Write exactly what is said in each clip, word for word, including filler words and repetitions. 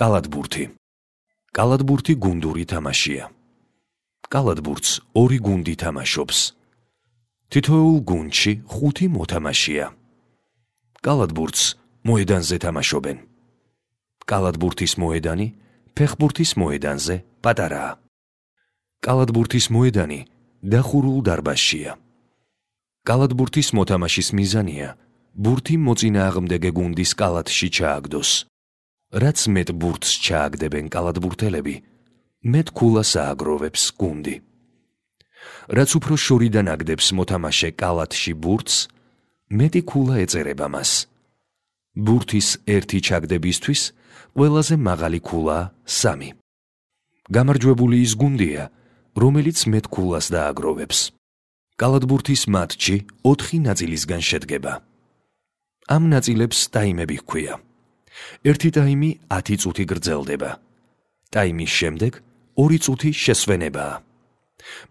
კალათბურთი. კალათბურთი გუნდური თამაშია. კალათბურთს ორი გუნდი თამაშობს. თითოეულ გუნდში ხუთი მოთამაშეა. კალათბურთს მოედანზე თამაშობენ. კალათბურთის მოედანი ფეხბურთის მოედანზე პატარაა. კალათბურთის მოედანი დახურულ დარბაზშია. კალათბურთის მოთამაშის მიზანია ბურთი მოწინააღმდეგე გუნდის კალათში ჩააგდოს. რაც მეტ ბურთს ჩააგდებენ კალათბურთელები, მეტ ქულას ააგროვებს გუნდი. რაც უფრო შორიდან აგდებს მოთამაშე კალათში ბურთს, მეტი ქულა ეწერება მას. ბურთის ერთი ჩაგდებისთვის ყველაზე მაღალი ქულაა სამი. გამარჯვებული ის გუნდია, რომელიც მეტ ქულას დააგროვებს. კალათბურთის მატჩი ოთხი ნაწილისგან შედგება. ამ ნაწილებს ტაიმები ჰქვია. ერთი ტაიმი ათი წუთი გრძელდება. ტაიმის შემდეგ ორი წუთი შესვენებაა.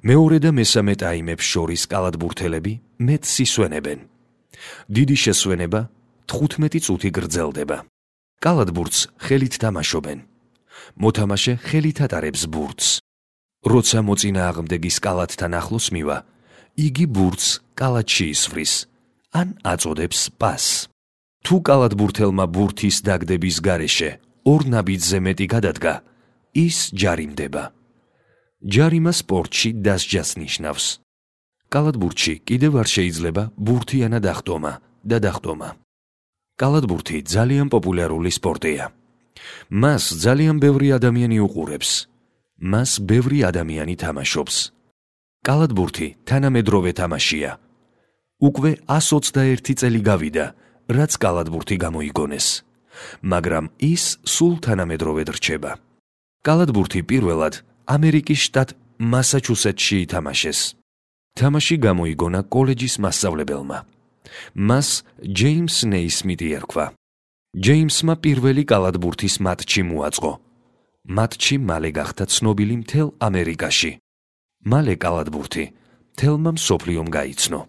მეორე და მესამე ტაიმებს შორის კალათბურთელები მეტს ისვენებენ. დიდი შესვენება თხუთმეტი წუთი გრძელდება. კალათბურთს ხელით თამაშობენ. მოთამაშე ხელით ატარებს ბურთს. როცა მოწინააღმდეგის კალათთან ახლოს მივა, იგი ბურთს კალათში ისვრის, ან აწოდებს პასს. თუ კალათბურთელმა ბურთის დაგდების გარეშე ორ ნაბიჯზე მეტი გადადგა, ის ჯარიმდება. ჯარიმა სპორტში დასჯას ნიშნავს. კალათბურთში კიდევ არ შეიძლება ბურთიანად ახტომა და დახტომა. კალათბურთი ძალიან პოპულარული სპორტია. მას ძალიან ბევრი ადამიანი უყურებს. მას ბევრი ადამიანი თამაშობს. კალათბურთი თანამედროვე თამაშია. უკვე ას ოცდაერთი წელი გავიდა, რაც კალათბურთი გამოიგონეს, მაგრამ ის სულ თანამედროვედ რჩება. კალათბურთი პირველად ამერიკის შტატ მასაჩუსეტსში ითამაშეს. თამაში გამოიგონა კოლეჯის მასწავლებელმა. მას ჯეიმს ნეისმიტი ერქვა. ჯეიმსმა პირველი კალათბურთის მატჩი მოაწყო. მატჩი მალე გახდა ცნობილი მთელ ამერიკაში. მალე კალათბურთი მთელმა მსოფლიომ გაიცნო.